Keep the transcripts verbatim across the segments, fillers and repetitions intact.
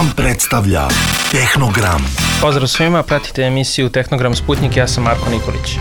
Vam predstavlja Tehnogram. Pozdrav svima, pratite emisiju Tehnogram Sputnik, ja sam Marko Nikolić.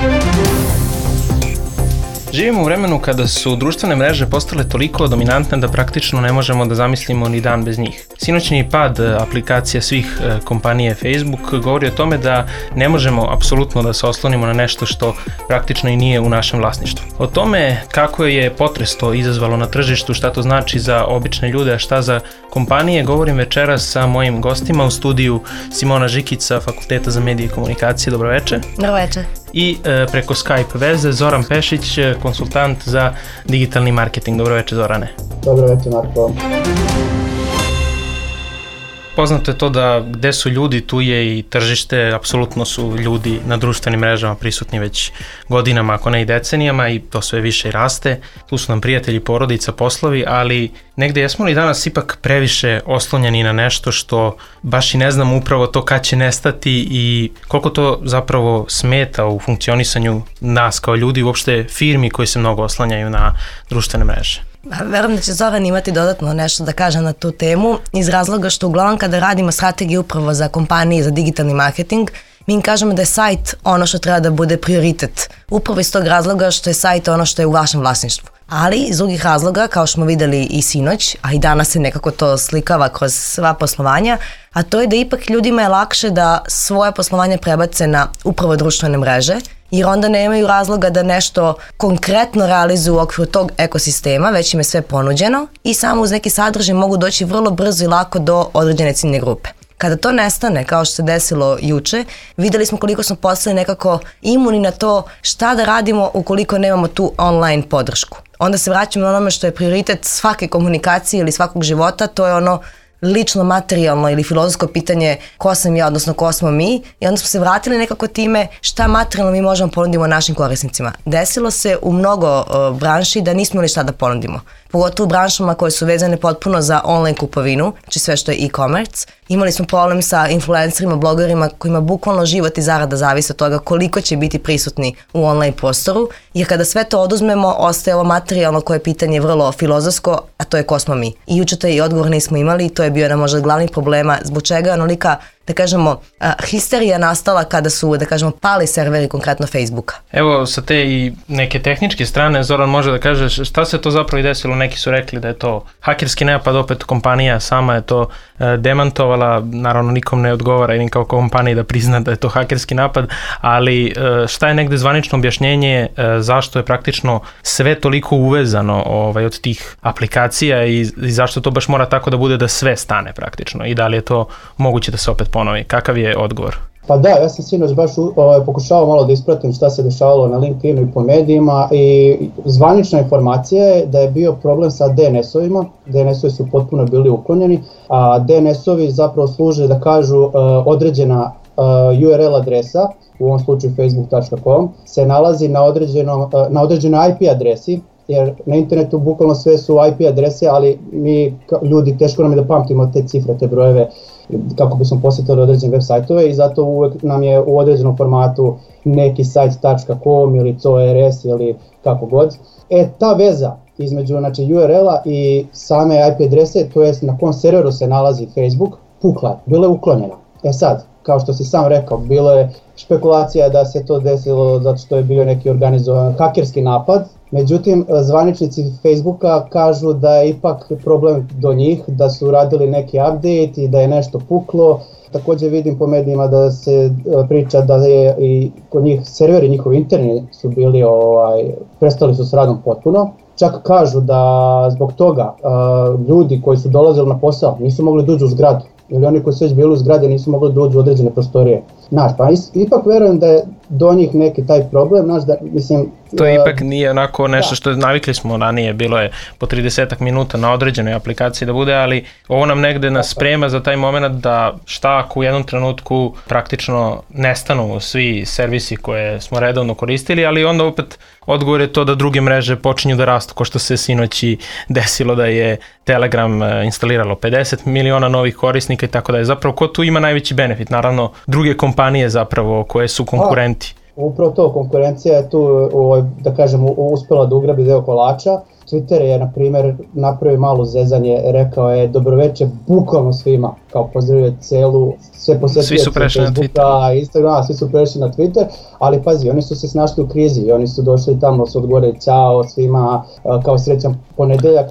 Živimo u vremenu kada su društvene mreže postale toliko dominantne da praktično ne možemo da zamislimo ni dan bez njih. Sinoćni pad aplikacija svih kompanije Facebook govori o tome da ne možemo apsolutno da se oslonimo na nešto što praktično i nije u našem vlasništvu. O tome kako je potres to izazvalo na tržištu, šta to znači za obične ljude, a šta za kompanije, govorim večeras sa mojim gostima u studiju Simona Žikić sa Fakulteta za medije i komunikacije. Dobro večer. Dobro večer. I e, preko Skype veze Zoran Pešić, konsultant za digitalni marketing. Dobro večer, Zorane. Dobro večer, Marko. Poznato je to da gde su ljudi, tu je i tržište, apsolutno su ljudi na društvenim mrežama prisutni već godinama, ako ne i decenijama, i to sve više i raste. Tu su nam prijatelji, porodica, poslovi, ali negde jesmo li danas ipak previše oslonjeni na nešto što baš i ne znamo upravo to kad će nestati i koliko to zapravo smeta u funkcionisanju nas kao ljudi, uopšte firmi koji se mnogo oslanjaju na društvene mreže. Verujem da će Zoran imati dodatno nešto da kaže na tu temu iz razloga što uglavnom kada radimo strategiju upravo za kompanije za digitalni marketing, mi im kažemo da je sajt ono što treba da bude prioritet. Upravo iz tog razloga što je sajt ono što je u vašem vlasništvu. Ali iz drugih razloga, kao što smo videli i sinoć, a i danas se nekako to slikava kroz sva poslovanja, a to je da ipak ljudima je lakše da svoje poslovanje prebace na upravo društvene mreže, jer onda nemaju razloga da nešto konkretno realizuju u okviru tog ekosistema, već im je sve ponuđeno i samo uz neki sadržaj mogu doći vrlo brzo i lako do određene ciljne grupe. Kada to nestane, kao što se desilo juče, videli smo koliko smo postali nekako imuni na to šta da radimo ukoliko nemamo tu online podršku. Onda se vraćamo na onome što je prioritet svake komunikacije ili svakog života, to je ono lično materijalno ili filozofsko pitanje ko sam ja, odnosno ko smo mi, i onda smo se vratili nekako time šta materijalno mi možemo ponudimo našim korisnicima. Desilo se u mnogo uh, branši da nismo imali šta da ponudimo. Pogotovo u branšama koje su vezane potpuno za online kupovinu, znači sve što je e-commerce. Imali smo problem sa influencerima, blogerima kojima bukvalno život i zarada zavise od toga koliko će biti prisutni u online prostoru, jer kada sve to oduzmemo, ostaje ovo materijalno koje je pitanje vrlo filozofsko, a to je ko smo mi. I juče taj odgovor nismo imali i to je bio jedan možda glavnih problema zbog čega je onolika, da kažemo, histerija nastala kada su, da kažemo, pali serveri konkretno Facebooka. Evo, sa te i neke tehničke strane, Zoran može da kaže šta se to zapravo i desilo. Neki su rekli da je to hakerski napad, opet kompanija sama je to e, demantovala, naravno nikom ne odgovara i kao kompaniji da prizna da je to hakerski napad, ali e, šta je negde zvanično objašnjenje e, zašto je praktično sve toliko uvezano ovaj, od tih aplikacija i, i zašto to baš mora tako da bude da sve stane praktično i da li je to moguće da se opet ponovi? Kakav je odgovor? Pa da, ja sam sinoć baš ovaj, pokušao malo da ispratim šta se dešavalo na LinkedInu i po medijima i zvanična informacija je da je bio problem sa D N S-ovima, D N S-ovi su potpuno bili uklonjeni, a D N S-ovi zapravo služe da kažu uh, određena uh, U R L adresa, u ovom slučaju facebook tačka com, se nalazi na, određeno, uh, na određenoj I P adresi, jer na internetu bukvalno sve su I P adrese, ali mi ljudi teško nam je da pamtimo te cifre, te brojeve, kako bismo posjetili određene web sajtove i zato uvek nam je u određenom formatu neki sajt tačka com ili C O R S ili kako god. E, ta veza između znači, U R L-a i same I P adrese, to jest na kom serveru se nalazi Facebook, pukla, bila je uklonjena. E sad, kao što si sam rekao, bilo je špekulacija da se to desilo zato što je bio neki organizovan hakerski napad. Međutim, zvaničnici Facebooka kažu da je ipak problem do njih, da su radili neki update i da je nešto puklo. Također vidim po medijima da se priča da je i kod njih serveri, njihovi interni su bili, ovaj, prestali su s radom potpuno. Čak kažu da zbog toga uh, ljudi koji su dolazili na posao nisu mogli doći u zgradu. Ili oni koji su već bili u zgrade nisu mogli doći u određene prostorije. Znaš, pa ipak verujem da je do njih neki taj problem, znaš da, mislim... To uh, ipak nije onako nešto da. Što navikli smo ranije, bilo je po trideset minuta na određenoj aplikaciji da bude, ali ovo nam negde nas sprema za taj moment da šta ako u jednom trenutku praktično nestanu svi servisi koje smo redovno koristili, ali onda opet odgovor je to da druge mreže počinju da rastu, ko što se sinoći desilo da je Telegram instaliralo pedeset miliona novih korisnika i tako da je. Zapravo ko tu ima najveći benefit? Naravno druge kompanije zapravo koje su konkurenti. A, upravo to, konkurencija je tu, da kažem, uspela da ugrabi deo kolača. Twitter je, na primjer, napravio malo zezanje, rekao je dobroveče bukvalno svima, kao pozdravio celu, sve posjetioce Facebooka, Instagrama, svi su prešli na Twitter, ali pazi, oni su se snašli u krizi i oni su došli tamo, su odgovorili ćao svima, kao srećan ponedeljak.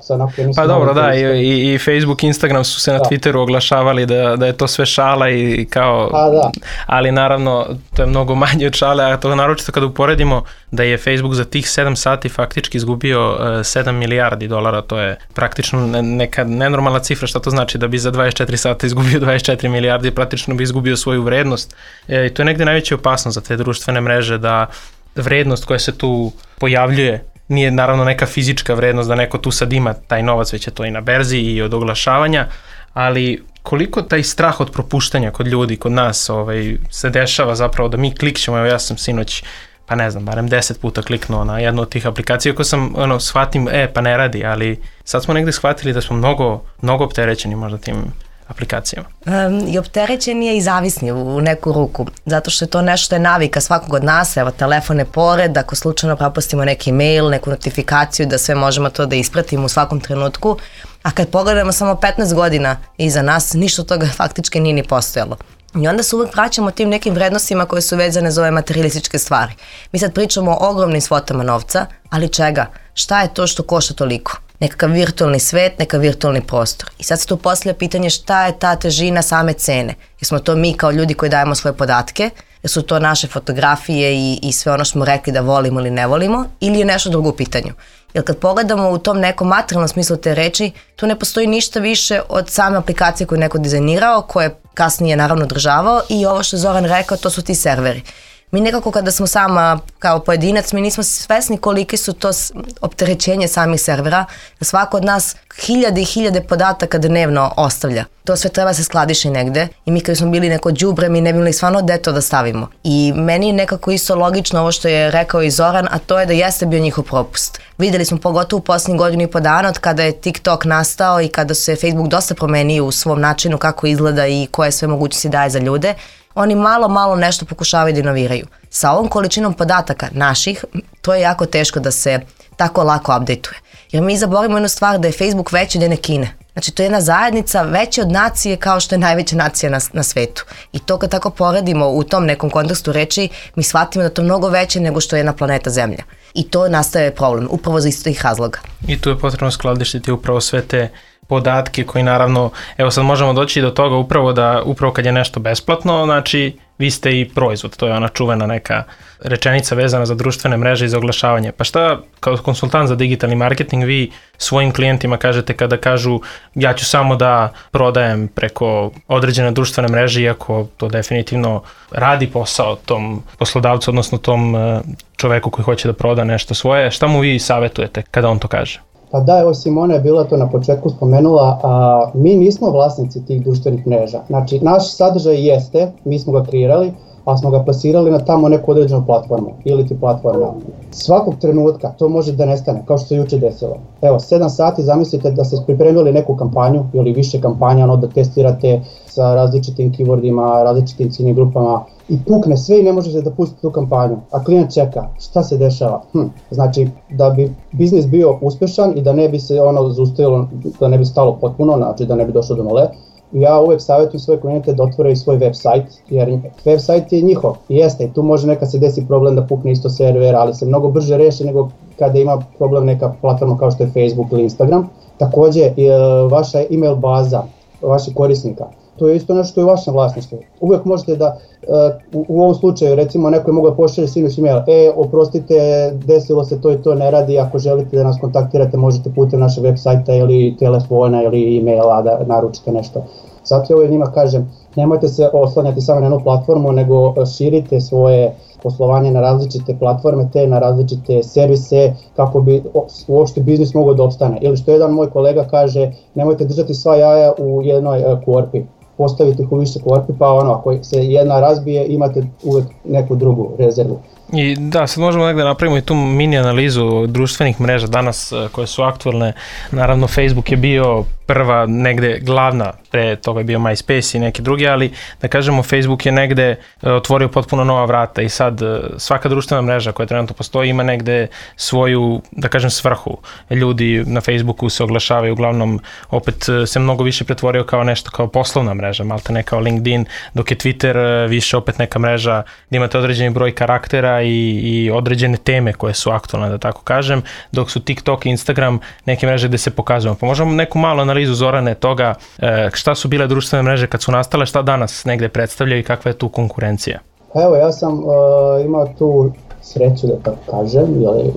Pa dobro, da, i, i Facebook, Instagram su se na da. Twitteru oglašavali da, da je to sve šala i kao, A, da. ali naravno to je mnogo manje od šale, a to naročito kada uporedimo da je Facebook za tih sedam sati faktički izgubio uh, sedam milijardi dolara, to je praktično neka nenormalna cifra, šta to znači da bi za dvadeset četiri sata izgubio dvadeset četiri milijardi, praktično bi izgubio svoju vrednost. E, i to je negde najveća opasnost za te društvene mreže, da vrednost koja se tu pojavljuje nije naravno neka fizička vrednost da neko tu sad ima taj novac, već je to i na berzi i od oglašavanja, ali koliko taj strah od propuštanja kod ljudi, kod nas ovaj, se dešava zapravo da mi klikćemo, evo ja sam sinoć, pa ne znam, barem deset puta kliknuo na jednu od tih aplikacija, ako sam, ono, shvatim, e, pa ne radi, ali sad smo negde shvatili da smo mnogo, mnogo opterećeni možda tim aplikacijama. Um, I opterećeni je i zavisni u, u neku ruku, zato što je to nešto je navika svakog od nas, evo telefon je pored, ako slučajno propustimo neki mail, neku notifikaciju, da sve možemo to da ispratimo u svakom trenutku, a kad pogledamo samo petnaest godina iza nas, ništa od toga faktički nije ni postojalo. I onda se uvek vraćamo tim nekim vrednostima koje su vezane za ove materijalističke stvari. Mi sad pričamo o ogromnim svotama novca, ali čega? Šta je to što košta toliko? Nekakav virtualni svet, neka virtualni prostor. I sad se tu postavlja pitanje šta je ta težina same cene. Jesmo to mi kao ljudi koji dajemo svoje podatke, jesu to naše fotografije i, i sve ono što smo rekli da volimo ili ne volimo, ili je nešto drugo u pitanju. Jer kad pogledamo u tom nekom materijalnom smislu te reči, tu ne postoji ništa više od same aplikacije koju je neko dizajnirao, koje kasnije naravno održavao, i ovo što je Zoran rekao, to su ti serveri. Mi nekako kada smo sama kao pojedinac, mi nismo svesni koliki su to opterećenje samih servera, da svako od nas hiljade i hiljade podataka dnevno ostavlja. To sve treba se skladiši negde i mi kada smo bili neko đubre, mi ne bi imali stvarno gde to da stavimo. I meni je nekako isto logično ovo što je rekao i Zoran, a to je da jeste bio njihov propust. Videli smo pogotovo u posljednjih godinu i po dana od kada je TikTok nastao i kada se Facebook dosta promenio u svom načinu kako izgleda i koje sve mogućnosti daje za ljude. Oni malo, malo nešto pokušavaju da inoviraju. Sa ovom količinom podataka naših, to je jako teško da se tako lako updateuje. Jer mi zaboravimo jednu stvar, da je Facebook veći od jedne Kine. Znači, to je jedna zajednica veća od nacije kao što je najveća nacija na, na svetu. I to kad tako poredimo u tom nekom kontekstu reči, mi shvatimo da to je mnogo veće nego što je jedna planeta Zemlja. I to nastaje problem, upravo za istih razloga. I tu je potrebno skladištiti upravo sve te podatke koji naravno, evo sad možemo doći do toga upravo da, upravo kad je nešto besplatno, znači vi ste i proizvod, to je ona čuvena neka rečenica vezana za društvene mreže i za oglašavanje. Pa šta, kao konsultant za digitalni marketing, vi svojim klijentima kažete kada kažu ja ću samo da prodajem preko određene društvene mreže, iako to definitivno radi posao tom poslodavcu, odnosno tom čoveku koji hoće da proda nešto svoje, šta mu vi savjetujete kada on to kaže? Pa da, evo Simona je bila to na početku spomenula, a mi nismo vlasnici tih društvenih mreža. Znači, naš sadržaj jeste, mi smo ga kreirali, ali smo ga plasirali na tamo neku određenu platformu ili ti platforma. Svakog trenutka to može da nestane, kao što se juče desilo. Evo, sedam sati zamislite da ste pripremili neku kampanju ili više kampanja, ono da testirate sa različitim keywordima, različitim ciljnim grupama, i pukne sve i ne možete da pustite tu kampanju, a klijent čeka, šta se dešava? Hm. Znači, da bi biznis bio uspešan i da ne bi se ono zaustavilo, da ne bi stalo potpuno, znači da ne bi došlo do nule, ja uvek savjetujem svoje klijente da otvore svoj web sajt, jer web sajt je njihov, i jeste, i tu može neka se desi problem da pukne isto server, ali se mnogo brže reši nego kada ima problem neka platforma kao što je Facebook ili Instagram. Takođe, vaša email baza, vaših korisnika, to je isto nešto što je u vašem vlasništvu. Uvijek možete da, u, u ovom slučaju, recimo neko je mogao pošalje sinoć email, e, oprostite, desilo se to i to, ne radi, ako želite da nas kontaktirate, možete putem našeg web sajta ili telefona ili emaila da naručite nešto. Zato ja njima kažem, nemojte se oslanjati samo na jednu platformu, nego širite svoje poslovanje na različite platforme, te na različite servise, kako bi uopšte biznis mogao da opstane. Ili što jedan moj kolega kaže, nemojte držati sva jaja u jednoj korpi. postaviti ih u više korpi, pa ono, ako se jedna razbije, imate uvek neku drugu rezervu. I da, sad možemo negde napravimo i tu mini analizu društvenih mreža danas koje su aktualne. Naravno, Facebook je bio prva, negde glavna, pre toga je bio MySpace i neki drugi, ali da kažemo Facebook je negde otvorio potpuno nova vrata i sad svaka društvena mreža koja trenutno postoji ima negde svoju, da kažem, svrhu. Ljudi na Facebooku se oglašavaju, uglavnom opet se mnogo više pretvorio kao nešto kao poslovna mreža, malte ne kao LinkedIn, dok je Twitter više opet neka mreža gdje imate određeni broj karaktera i, i određene teme koje su aktualne, da tako kažem, dok su TikTok i Instagram neke mreže gde se pokazujemo. Pa možemo neku malu analizu, Zorane, toga šta su bile društvene mreže kad su nastale, šta danas negde predstavljaju i kakva je tu konkurencija? Evo, ja sam uh, imao tu sreću, da tako kažem, ili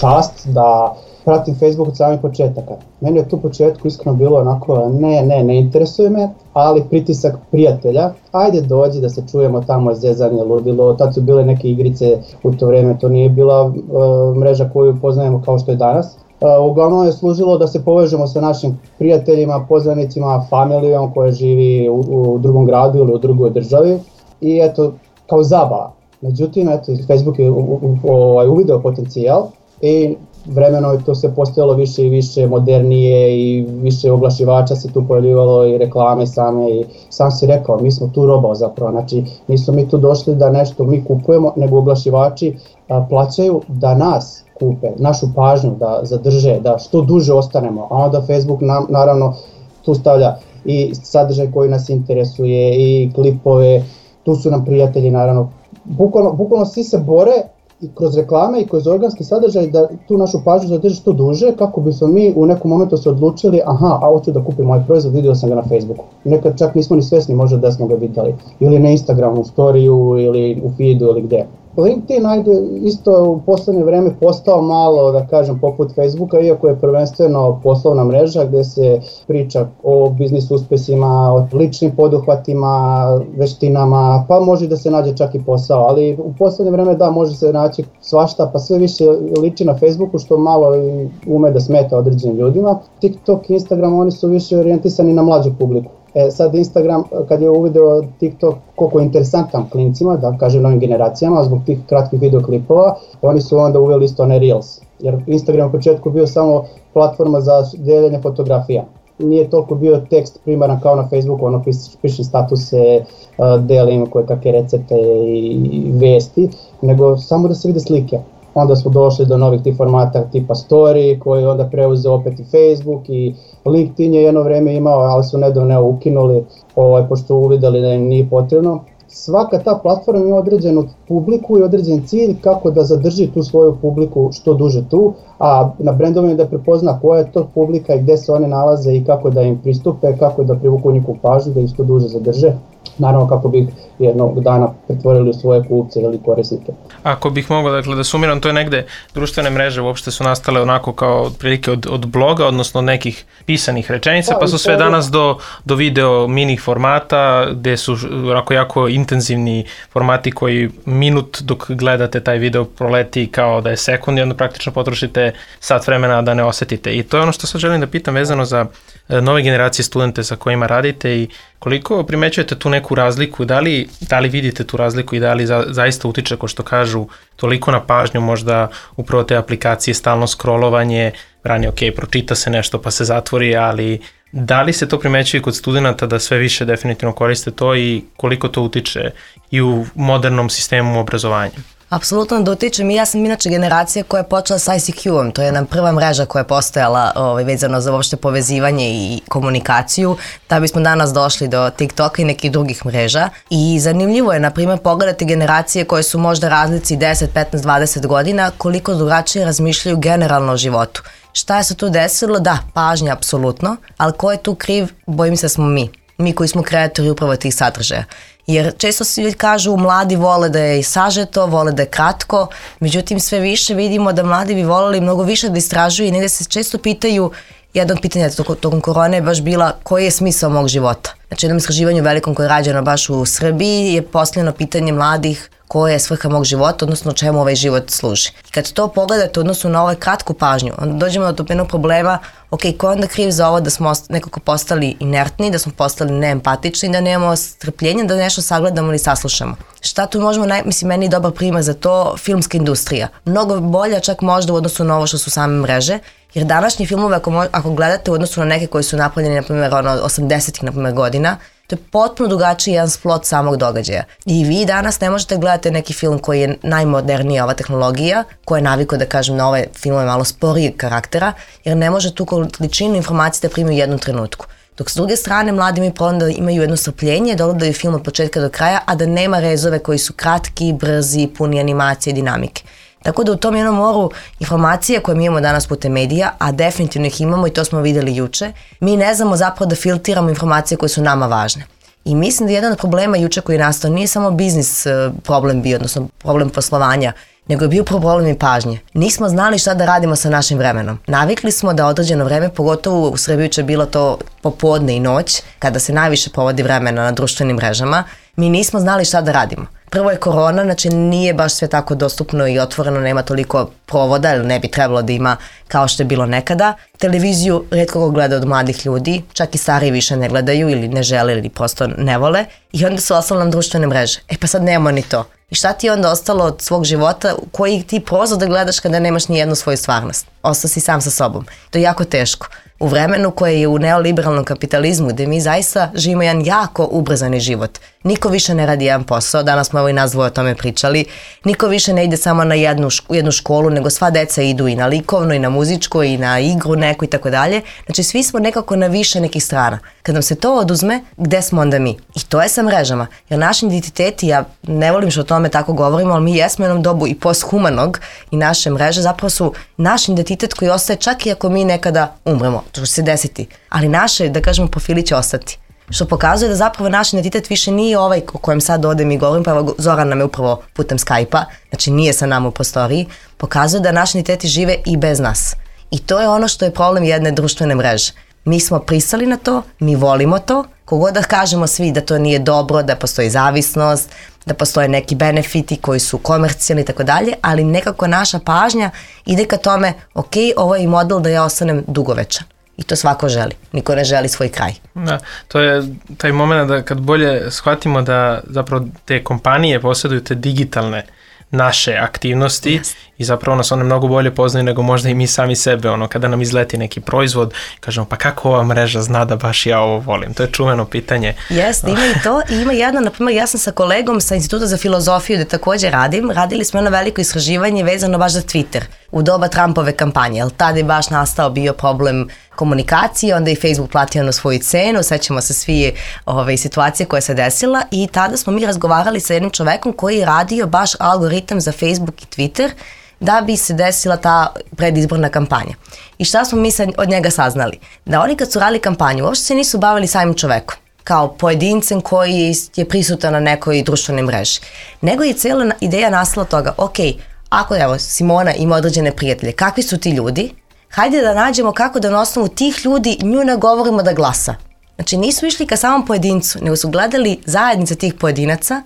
čast da pratim Facebook od samih početaka. Meni je tu u početku iskreno bilo onako, ne, ne, ne interesuje me, ali pritisak prijatelja, ajde dođi da se čujemo tamo, zezanje, ludilo, tad su bile neke igrice u to vreme, to nije bila uh, mreža koju poznajemo kao što je danas. Uh, uglavnom je služilo da se povežemo sa našim prijateljima, poznanicima, familijom koja živi u, u drugom gradu ili u drugoj državi i eto, kao zabava. Međutim, eto, Facebook je u, u, u, uvideo potencijal i vremeno je to se postojalo više i više modernije i više oglašivača se tu pojavljivalo i reklame same i sam si rekao, mi smo tu roba zapravo, znači nismo mi tu došli da nešto mi kupujemo, nego oglašivači a, plaćaju da nas kupe, našu pažnju da zadrže, da što duže ostanemo, a onda Facebook nam, naravno tu stavlja i sadržaj koji nas interesuje i klipove, tu su nam prijatelji naravno, bukvalno, bukvalno svi se bore i kroz reklame i kroz organski sadržaj da tu našu pažnju zadrži što duže kako bismo mi u nekom momentu se odlučili aha, a hoću da kupim ovaj proizvod, vidio sam ga na Facebooku. Nekad čak nismo ni svesni možda da smo ga vidjeli. Ili na Instagramu, u storiju ili u feedu ili gde. LinkedIn ajde isto u poslednje vreme postao malo, da kažem, poput Facebooka, iako je prvenstveno poslovna mreža gde se priča o biznis uspesima, o ličnim poduhvatima, veštinama, pa može da se nađe čak i posao, ali u poslednje vreme da, može se naći svašta, pa sve više liči na Facebooku što malo ume da smeta određenim ljudima. TikTok i Instagram, oni su više orijentisani na mlađu publiku. E, sad Instagram, kad je uvideo TikTok koliko je interesantan klincima, da kažem novim generacijama, zbog tih kratkih videoklipova, oni su onda uveli isto one Reels. Jer Instagram u početku bio samo platforma za deljenje fotografija. Nije toliko bio tekst primaran kao na Facebooku, ono pišem statuse, delim koje kakve recepte i vesti, nego samo da se vide slike. Onda smo došli do novih tih formata tipa story koji onda preuzeo opet i Facebook i LinkedIn je jedno vreme imao, ali su nedavno ukinuli ovaj, pošto uvidjeli da im nije potrebno. Svaka ta platforma ima određenu publiku i određen cilj kako da zadrži tu svoju publiku što duže tu, a na brendovima da prepozna koja je to publika i gde se one nalaze i kako da im pristupe, kako da privuku njihovu pažnju, da ih što duže zadrže. Naravno kako bi jednog dana pretvorili u svoje kupce ili korisnike. Ako bih mogao dakle, da sumiram, to je negde društvene mreže uopšte su nastale onako kao otprilike od, od bloga, odnosno od nekih pisanih rečenica, pa su sve danas do, do video mini formata gde su onako jako intenzivni formati koji minut dok gledate taj video proleti kao da je sekund i onda praktično potrošite sat vremena da ne osetite. I to je ono što sad želim da pitam vezano za nove generacije studente sa kojima radite i koliko primećujete tu neku razliku, da li, da li vidite tu razliku i da li za, zaista utiče, ko što kažu, toliko na pažnju, možda upravo te aplikacije, stalno scrollovanje, ranije ok, pročita se nešto pa se zatvori, ali da li se to primećuje kod studenta da sve više definitivno koriste to i koliko to utiče i u modernom sistemu obrazovanja? Apsolutno da utičem i ja sam inače generacija koja je počela sa I C Q-om, to je nam prva mreža koja je postojala ovaj, vezano za uopšte povezivanje i komunikaciju, da bismo danas došli do TikToka i nekih drugih mreža i zanimljivo je, na primjer, pogledati generacije koje su možda razlici deset, petnaest, dvadeset godina, koliko drugačije razmišljaju generalno o životu. Šta je se tu desilo? Da, pažnja apsolutno, ali ko je tu kriv? Bojim se da smo mi, mi koji smo kreatori upravo tih sadržaja. Jer često svi kažu mladi vole da je sažeto, vole da je kratko, međutim sve više vidimo da mladi bi voleli mnogo više da istražuju i negde se često pitaju Jedno od pitanja tokom korone je baš bila koji je smisao mog života. Znači, jednom istraživanju velikom koje je rađeno baš u Srbiji je postavljeno pitanje mladih koja je svrha mog života, odnosno čemu ovaj život služi. I kad to pogledate odnosno na ovaj kratku pažnju, onda dođemo do jednog problema, ok, ko je onda kriv za ovo da smo nekako postali inertni, da smo postali neempatični, da nemamo strpljenja, da nešto sagledamo ili saslušamo. Šta tu možemo, naj, mislim, meni je dobar primer za to, filmska industrija. Mnogo bolja čak možda u odnosu na ovo što su same mreže, jer današnji filmove, ako, ako gledate u odnosu na neke koji su napravljeni, na primjer, ono, osamdesetih, na primjer, godina, to je potpuno drugačiji jedan splot samog događaja. I vi danas ne možete gledati neki film koji je najmodernija ova tehnologija, koja je navikao da kažem na ove filmove malo sporije karaktera, jer ne može tu količinu informacije da primi u jednom trenutku. Dok s druge strane, mladi imaju problem da imaju jedno strpljenje, da odgledaju film od početka do kraja, a da nema rezove koji su kratki, brzi, puni animacije i dinamike. Tako da u tom jednom moru informacija koje mi imamo danas putem medija, a definitivno ih imamo i to smo videli juče, mi ne znamo zapravo da filtiramo informacije koje su nama važne. I mislim da jedan od problema juče koji je nastao nije samo biznis problem bio, odnosno problem poslovanja, nego je bio problem i pažnje. Nismo znali šta da radimo sa našim vremenom. Navikli smo da određeno vreme, pogotovo u Srbiji će bilo to popodne i noć, kada se najviše provodi vremena na društvenim mrežama, mi nismo znali šta da radimo. Prvo je korona, znači nije baš sve tako dostupno i otvoreno, nema toliko provoda, ili ne bi trebalo da ima kao što je bilo nekada. Televiziju retko ko gleda od mladih ljudi, čak i stariji više ne gledaju ili ne žele ili prosto ne vole i onda su ostale nam društvene mreže. E pa sad nemamo ni to. I šta ti je onda ostalo od svog života, koji ti prozor da gledaš kada nemaš ni jednu svoju stvarnost? Ostao si sam sa sobom. To je jako teško. U vremenu koje je u neoliberalnom kapitalizmu, gde mi zaista živimo jedan jako ubrzani život. Niko više ne radi jedan posao, danas smo evo i nas dvoje o tome pričali, niko više ne ide samo na jednu, ško- jednu školu, nego sva deca idu i na likovno, i na muzičko, i na igru neku i tako dalje. Znači svi smo nekako na više nekih strana. Kad nam se to oduzme, gde smo onda mi? I to je sa mrežama. Jer naši identiteti, ja ne volim što o tome tako govorimo, ali mi jesmo u jednom dobu i posthumanog i naše mreže zapravo su naš identitet koji ostaje čak i ako mi nekada umremo. To će se desiti. Ali naše, da kažemo, profili će ostati. Što pokazuje da zapravo naš identitet više nije ovaj o kojem sad odem i govorim, pa evo Zoran nam je upravo putem Skype-a, znači nije sa nama u prostoriji, pokazuje da naši identiteti žive i bez nas. I to je ono što je problem jedne društvene mreže. Mi smo pristali na to, mi volimo to, kogod da kažemo svi da to nije dobro, da postoji zavisnost, da postoje neki benefiti koji su komercijalni i tako dalje, ali nekako naša pažnja ide ka tome, ok, ovo je i model da ja ostanem dugovečan. I to svako želi. Niko ne želi svoj kraj. Da, to je taj moment da kad bolje shvatimo da zapravo te kompanije posjeduju te digitalne naše aktivnosti yes. i zapravo nas one mnogo bolje poznaju nego možda i mi sami sebe, ono kada nam izleti neki proizvod, kažemo pa kako ova mreža zna da baš ja ovo volim, to je čuveno pitanje. Jeste, ima i to i ima jedno, na primjer ja sam sa kolegom sa Instituta za filozofiju gde također radim, radili smo jedno veliko istraživanje vezano baš za Twitter u doba Trumpove kampanje, jer tada je baš nastao bio problem komunikacije, onda je Facebook platio na svoju cenu, sećamo se svi ove situacije koja se desila i tada smo mi razgovarali sa jednim čovekom koji je radio baš algoritam za Facebook i Twitter da bi se desila ta predizborna kampanja. I šta smo mi od njega saznali? Da oni kad su radili kampanju, uopšte se nisu bavili samim čovekom, kao pojedincem koji je prisutan na nekoj društvenoj mreži. Nego je cijela ideja nastala toga, ok, ako evo Simona ima određene prijatelje, kakvi su ti ljudi? Hajde da nađemo kako da na osnovu tih ljudi nju nagovorimo da glasa. Znači nisu išli ka samom pojedincu, nego su gledali zajednice tih pojedinaca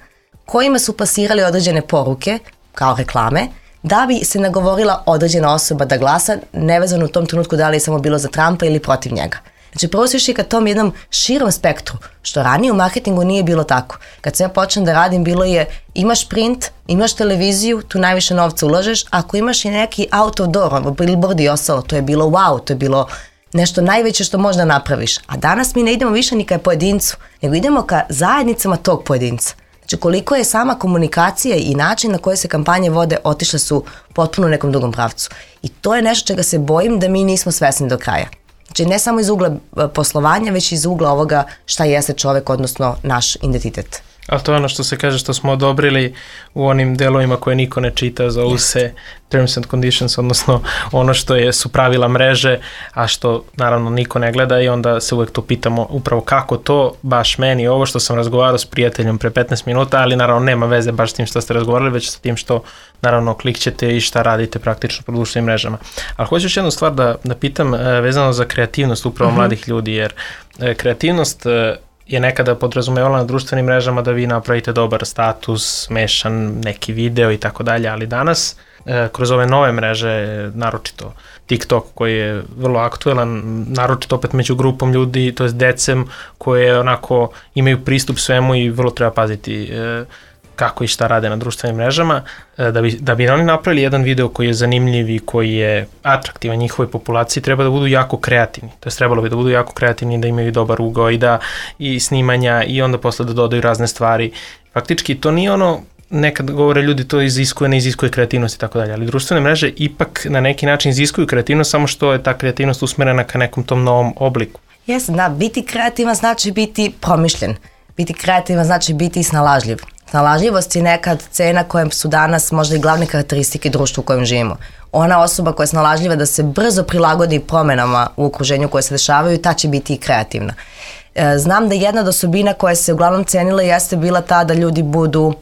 kojima su plasirali određene poruke, kao reklame, da bi se nagovorila određena osoba da glasa, nevezano u tom trenutku da li je samo bilo za Trumpa ili protiv njega. Znači prvo su išli ka tom jednom širom spektru, što ranije u marketingu nije bilo tako. Kad sam ja počnem da radim, bilo je imaš print, imaš televiziju, tu najviše novca ulažeš, ako imaš i neki outdoor, billboard i ostalo, to je bilo wow, to je bilo nešto najveće što možda napraviš. A danas mi ne idemo više ni ka pojedincu, nego idemo ka zajednicama tog pojedinca. Znači koliko je sama komunikacija i način na koje se kampanje vode otišle su potpuno u nekom drugom pravcu. I to je nešto čega se bojim da mi nismo svesni do kraja. Znači ne samo iz ugla poslovanja, već iz ugla ovoga šta jeste čovek, odnosno naš identitet. Ali to je ono što se kaže što smo odobrili u onim delovima koje niko ne čita, zovu se terms and conditions, odnosno ono što je, su pravila mreže, a što naravno niko ne gleda i onda se uvek to pitamo upravo kako to baš meni, ovo što sam razgovarao s prijateljom pre petnaest minuta, ali naravno nema veze baš s tim što ste razgovarali, već sa tim što naravno klikćete i šta radite praktično po društvenim mrežama. Ali hoću još jednu stvar da, da pitam vezano za kreativnost upravo uh-huh. mladih ljudi, jer kreativnost je nekada podrazumevala na društvenim mrežama da vi napravite dobar status, smešan neki video i tako dalje, ali danas e, kroz ove nove mreže, naročito TikTok koji je vrlo aktuelan, naročito opet među grupom ljudi, to je decem koje onako imaju pristup svemu i vrlo treba paziti e, kako i šta rade na društvenim mrežama, da bi, da bi oni napravili jedan video koji je zanimljiv i koji je atraktivan njihovoj populaciji, treba da budu jako kreativni. To je trebalo bi da budu jako kreativni, da imaju dobar ugao i da i snimanja i onda posle da dodaju razne stvari. Faktički to nije ono, nekad govore ljudi to iziskuje, ne iziskuje kreativnost i tako dalje, ali društvene mreže ipak na neki način iziskuju kreativnost, samo što je ta kreativnost usmerena ka nekom tom novom obliku. Jes, da, biti kreativan znači biti promišljen. Biti kreativan znači biti snalažljiv. Snalažljivost je nekad cena kojem su danas možda i glavne karakteristike društva u kojem živimo. Ona osoba koja je snalažljiva da se brzo prilagodi promenama u okruženju koje se dešavaju, ta će biti i kreativna. Znam da jedna od osobina koja se uglavnom cenila jeste bila ta da ljudi budu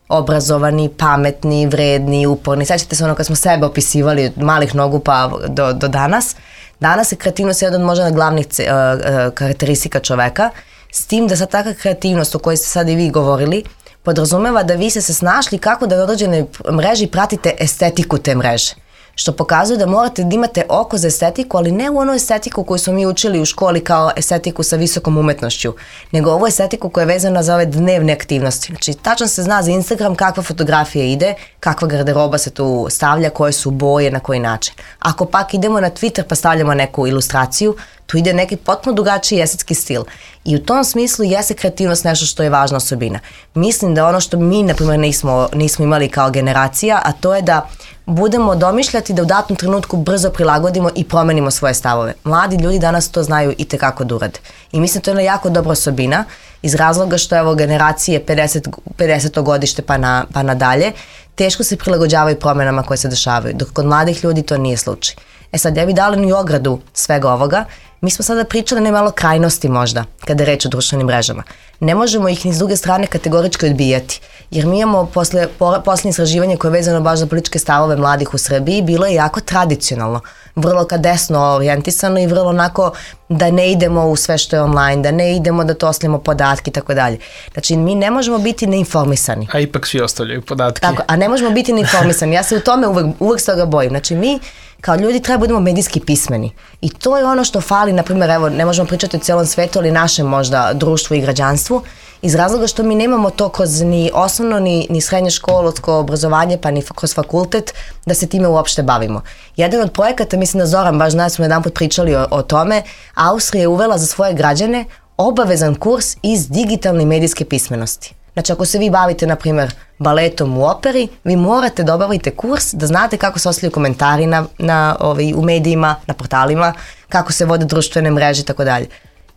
obrazovani, pametni, vredni, uporni. Sjećate se ono kad smo sebe opisivali od malih nogu pa do, do danas. Danas je kreativnost jedan od možda glavnih uh, uh, karakteristika čoveka, s tim da sad takva kreativnost o kojoj ste sad i vi govorili podrazumeva da vi ste se snašli kako da u određenoj mreži pratite estetiku te mreže. Što pokazuje da morate da imate oko za estetiku, ali ne u onu estetiku koju smo mi učili u školi kao estetiku sa visokom umetnošću, nego ovu estetiku koja je vezana za ove dnevne aktivnosti. Znači, tačno se zna za Instagram kakva fotografija ide, kakva garderoba se tu stavlja, koje su boje, na koji način. Ako pak idemo na Twitter pa stavljamo neku ilustraciju, tu ide neki potpuno drugačiji estetski stil. I u tom smislu jeste kreativnost nešto što je važna osobina. Mislim da ono što mi, na primjer, nismo, nismo imali kao generacija, a to je da budemo domišljati da u datom trenutku brzo prilagodimo i promenimo svoje stavove. Mladi ljudi danas to znaju i tekako da urade. I mislim da to je jedna jako dobra osobina iz razloga što evo generacije pedeset, pedeseto godište pa, na, pa nadalje teško se prilagođavaju promenama koje se dešavaju, dok kod mladih ljudi to nije slučaj. E sad, ja bih dala ni ogradu svega ovoga. Mi smo sada pričali ne malo krajnosti možda, kada je reč o društvenim mrežama. Ne možemo ih ni s druge strane kategorički odbijati, jer mi imamo posle, posljednje istraživanje koje je vezano baš za političke stavove mladih u Srbiji, bilo je jako tradicionalno, vrlo ka desno orijentisano i vrlo onako da ne idemo u sve što je online, da ne idemo da toslimo podatke i tako dalje. Znači, mi ne možemo biti neinformisani. A ipak svi ostavljaju podatke. Tako, a ne možemo biti neinformisani. Ja se u tome uvek, uvek s toga bojim. Znači, mi kao ljudi treba budemo medijski pismeni. I to je ono što fali, na primjer, evo, ne možemo pričati o cijelom svetu, ali našem možda društvu i građanstvu, iz razloga što mi nemamo to kroz ni osnovno, ni, ni srednje školsko obrazovanje, pa ni kroz fakultet, da se time uopšte bavimo. Jedan od projekata, mislim da Zoran, baš danas smo jedan put pričali o, o tome, Austrija je uvela za svoje građane obavezan kurs iz digitalne i medijske pismenosti. Znači, ako se vi bavite, na primjer, baletom u operi, vi morate da obavite kurs da znate kako se ostavljaju komentari na, na, ovaj, u medijima, na portalima, kako se vode društvene mreže i tako dalje.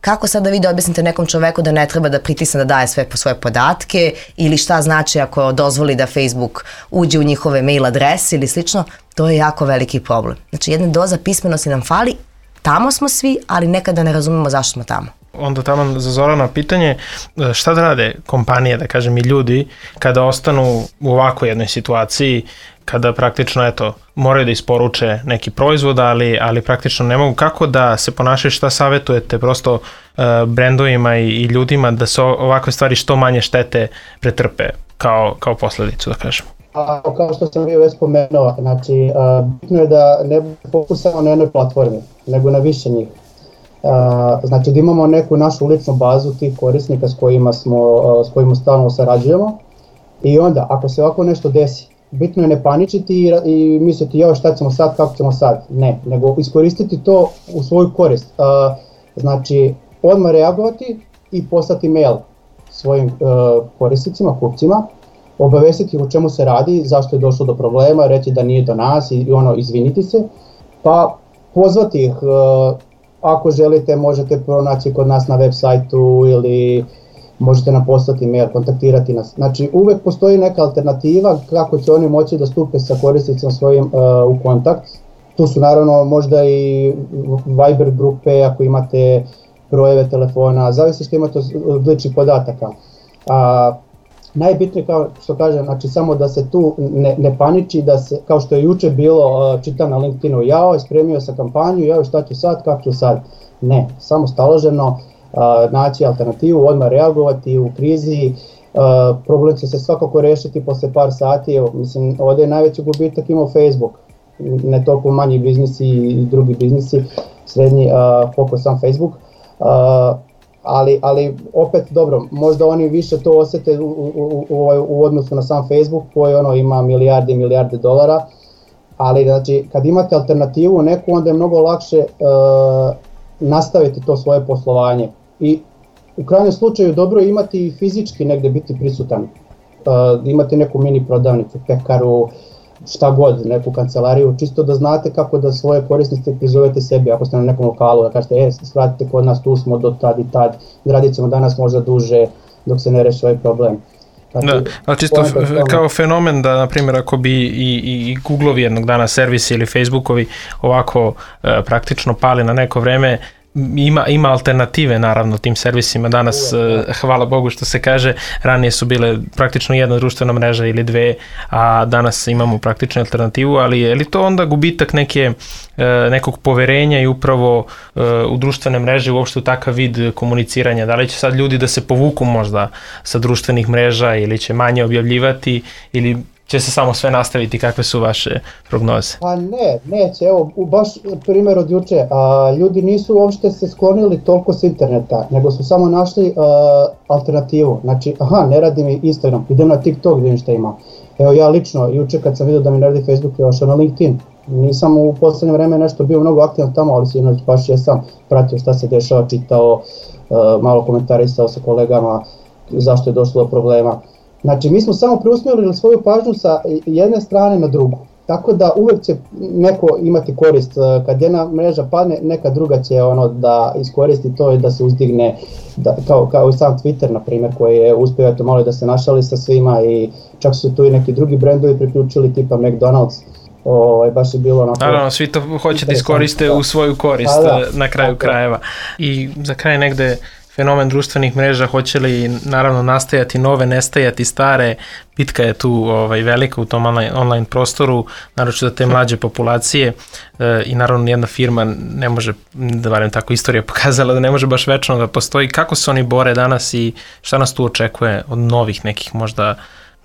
Kako sad da vi da objasnite nekom čoveku da ne treba da pritisne da daje sve po svoje podatke ili šta znači ako dozvoli da Facebook uđe u njihove mail adrese ili slično, to je jako veliki problem. Znači, jedna doza pismenosti nam fali, tamo smo svi, ali nekada ne razumemo zašto smo tamo. Onda tamo za Zorana pitanje, šta da rade kompanije, da kažem i ljudi, kada ostanu u ovako jednoj situaciji, kada praktično, eto, moraju da isporuče neki proizvod, ali, ali praktično ne mogu, kako da se ponašaju, šta savjetujete prosto uh, brendovima i, i ljudima da se ovakve stvari što manje štete pretrpe kao, kao posledicu, da kažem? A, kao što sam bio već spomenuo, znači, uh, bitno je da ne fokus samo na jednoj platformi, nego na više njih. Uh, znači da imamo neku našu ličnu bazu tih korisnika s kojima, smo, uh, s kojima stalno sarađujemo i onda ako se ovako nešto desi, bitno je ne paničiti i, i misliti joj šta ćemo sad, kako ćemo sad, ne, nego iskoristiti to u svoju korist. Uh, znači odmah reagovati i poslati mail svojim uh, korisnicima, kupcima, obavestiti o čemu se radi, zašto je došlo do problema, reći da nije do nas i, i ono izviniti se, pa pozvati ih. Uh, Ako želite, možete pronaći kod nas na web sajtu ili možete nam poslati mail, kontaktirati nas. Znači uvek postoji neka alternativa kako će oni moći da stupe sa korisnicima svojim uh, u kontakt. Tu su naravno možda i Viber grupe ako imate brojeve telefona, zavisi što imate od ličnih podataka. A, najbitnije kao što kažem, znači samo da se tu ne, ne paniči, da se, kao što je juče bilo, čitam na LinkedInu, jao, spremio sam kampanju, jao, šta ću sad, kako ću sad. Ne, samo staloženo, naći alternativu, odmah reagovati u krizi, problem će se svakako rešiti posle par sati, evo, mislim, ovdje je najveći gubitak imao Facebook, ne toliko manji biznisi i drugi biznisi, srednji, koliko sam Facebook, ali, ali opet dobro, možda oni više to osete u, u, u, u odnosu na sam Facebook koji ono ima milijarde i milijarde dolara, ali znači kad imate alternativu neku onda je mnogo lakše uh, nastaviti to svoje poslovanje i u krajnjem slučaju dobro je imati fizički negde biti prisutan, uh, imati neku mini prodavnicu, pekaru, šta god, neku kancelariju, čisto da znate kako da svoje korisnice prizovete sebi, ako ste na nekom lokalu, da kažete, e, svratite kod nas, tu smo do tad i tad, radit ćemo danas možda duže dok se ne reši ovaj problem. Znači, da, ali čisto kao fenomen da, na primjer, ako bi i, i, i Googleovi jednog dana servisi ili Facebookovi ovako e, praktično pali na neko vreme, Ima, ima alternative naravno tim servisima danas, uh, hvala Bogu što se kaže, ranije su bile praktično jedna društvena mreža ili dve, a danas imamo praktično alternativu, ali je li to onda gubitak neke, uh, nekog poverenja i upravo uh, u društvene mreže, uopšte u takav vid komuniciranja, da li će sad ljudi da se povuku možda sa društvenih mreža ili će manje objavljivati ili će se samo sve nastaviti, kakve su vaše prognoze? Pa ne, neće, evo, baš primjer od juče, a, ljudi nisu uopšte se sklonili toliko s interneta, nego su samo našli a, alternativu, znači, aha, ne radi mi Instagram, idem na TikTok, vidim šta ima. Evo ja lično, juče kad sam vidio da mi ne radi Facebook, ja ošao na LinkedIn, nisam u poslednje vreme nešto bio mnogo aktivan tamo, ali sinoć baš jesam pratio šta se dešava, čitao, a, malo komentarisao sa kolegama, zašto je došlo do problema. Znači, mi smo samo preusmjerili svoju pažnju sa jedne strane na drugu. Tako da uvek će neko imati korist. Kad jedna mreža padne, neka druga će ono da iskoristi to i da se uzdigne, da, kao, kao i sam Twitter, na primjer, koji je uspio eto malo da se našali sa svima i čak su tu i neki drugi brendovi priključili tipa McDonald's. O, baš je bilo onako... Naravno, svi to hoće da iskoriste u svoju korist da, na kraju okay. krajeva. I za kraj negde fenomen društvenih mreža, hoće li naravno nastajati nove, nestajati stare, bitka je tu ovaj, velika u tom online, online prostoru, naročito za te mlađe populacije e, i naravno nijedna firma ne može, da barem tako istorija pokazala, da ne može baš večno da postoji. Kako se oni bore danas i šta nas tu očekuje od novih nekih možda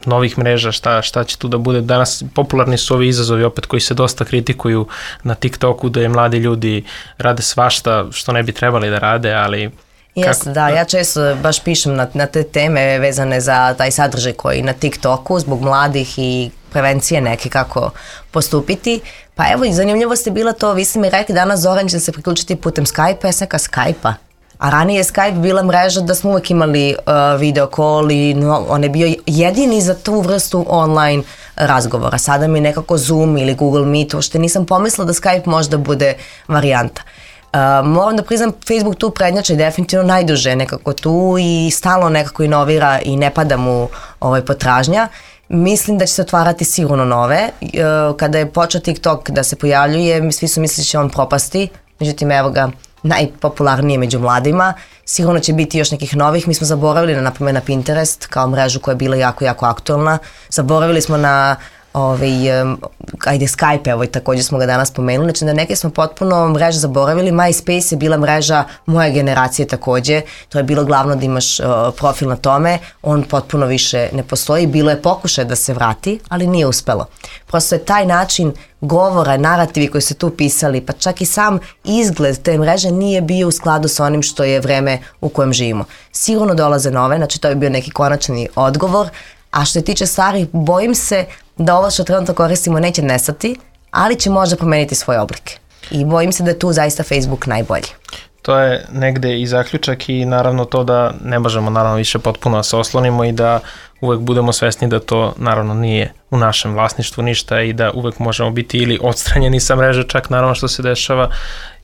novih mreža, šta, šta će tu da bude? Danas popularni su ovi izazovi opet koji se dosta kritikuju na TikToku, da je mladi ljudi rade svašta što ne bi trebali da rade, ali... Jeste, da, ja često baš pišem na, na te teme vezane za taj sadržaj koji na TikToku zbog mladih i prevencije neke kako postupiti. Pa evo, zanimljivo ste bila to, vi ste mi rekli danas Zoran će se priključiti putem Skype-a, ja sam neka Skype-a. A ranije je Skype bila mreža da smo uvijek imali uh, video call i no, on je bio jedini za tu vrstu online razgovora. Sada mi nekako Zoom ili Google Meet, uopšte nisam pomislila da Skype možda bude varijanta. Uh, moram da priznam, Facebook tu prednjače definitivno najduže nekako tu i stalno nekako inovira i ne pada mu ovaj, potražnja. Mislim da će se otvarati sigurno nove. Uh, kada je počeo TikTok da se pojavljuje, svi su mislili da će on propasti, međutim evo ga, najpopularnije među mladima. Sigurno će biti još nekih novih. Mi smo zaboravili na, naprimjer, na Pinterest kao mrežu koja je bila jako, jako aktualna. Zaboravili smo na ovaj, um, ajde Skype, evo i također smo ga danas spomenuli, znači da neke smo potpuno mreže zaboravili. MySpace je bila mreža moje generacije također, to je bilo glavno da imaš uh, profil na tome, on potpuno više ne postoji, bilo je pokušaj da se vrati, ali nije uspelo. Prosto je taj način govora, narativi koji se tu pisali, pa čak i sam izgled te mreže nije bio u skladu sa onim što je vreme u kojem živimo. Sigurno dolaze nove, znači to je bio neki konačni odgovor, a što se tiče starih, bojim se da ovo što trenutno koristimo neće nestati, ali će možda promeniti svoj oblik. I bojim se da je tu zaista Facebook najbolji. To je negde i zaključak i naravno to da ne možemo naravno više potpuno da se oslonimo i da uvek budemo svesni da to naravno nije u našem vlasništvu ništa i da uvek možemo biti ili odstranjeni sa mreže, čak naravno što se dešava,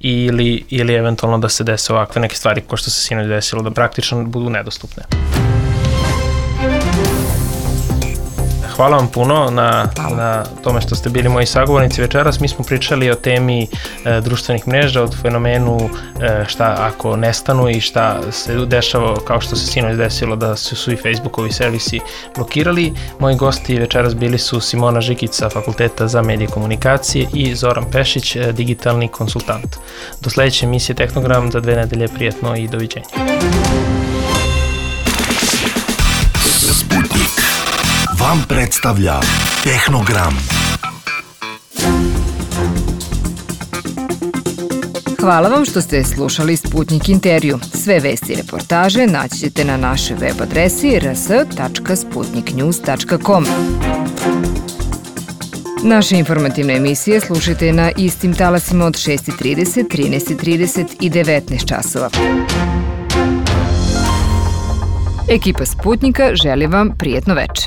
ili, ili eventualno da se dese ovakve neke stvari kao što se sinoć desilo, da praktično budu nedostupne. hvala vam puno na, na tome što ste bili moji sagovornici večeras. Mi smo pričali o temi e, društvenih mreža, od fenomenu e, šta ako nestanu i šta se dešava, kao što se sinoć desilo da su, su i Facebookovi servisi blokirali. Moji gosti večeras bili su Simona Žikić sa Fakulteta za medije i komunikacije i Zoran Pešić, e, digitalni konsultant. Do sledeće emisije Tehnogram za dve nedelje, prijatno i doviđenja. Sputnik vam predstavlja Tehnogram. Hvala vam što ste slušali Sputnik intervju. Sve vesti i reportaže naći ćete na našoj web adresi r s tačka sputnik news tačka com. Naše informativne emisije slušajte na istim talasima od šest i trideset, trinaest i trideset i devetnaest časova. Ekipa Sputnika želi vam prijetno veče.